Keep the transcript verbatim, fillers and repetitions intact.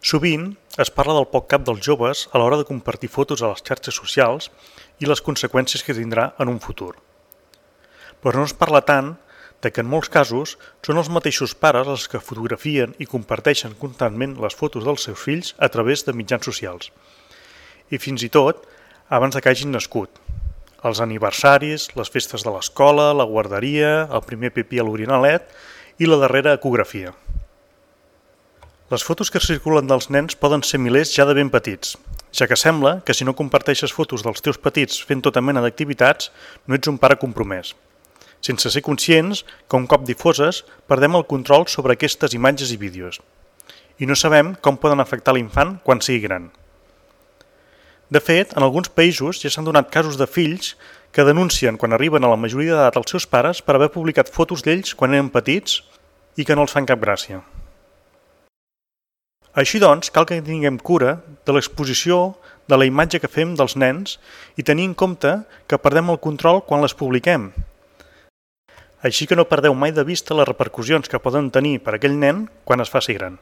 Sovint es parla del poc cap dels joves a l'hora de compartir fotos a les xarxes socials i les conseqüències que tindrà en un futur. Però no es parla tant de que en molts casos són els mateixos pares els que fotografien i comparteixen constantment les fotos dels seus fills a través de mitjans socials. I fins i tot abans de que hagin nascut. Els aniversaris, les festes de l'escola, la guarderia, el primer pipí a l'orinalet i la darrera ecografia. Les fotos que circulen dels nens poden ser milers ja de ben petits, ja que sembla que si no comparteixes fotos dels teus petits fent tota mena d'activitats, no ets un pare compromès, sense ser conscients que un cop difoses perdem el control sobre aquestes imatges i vídeos, i no sabem com poden afectar l'infant quan sigui gran. De fet, en alguns països ja s'han donat casos de fills que denuncien quan arriben a la majoria d'edat als seus pares per haver publicat fotos d'ells quan eren petits i que no els fan cap gràcia. Així doncs, cal que tinguem cura de l'exposició de la imatge que fem dels nens i tenir en compte que perdem el control quan les publiquem. Així que no perdeu mai de vista les repercussions que poden tenir per a aquell nen quan es faci gran.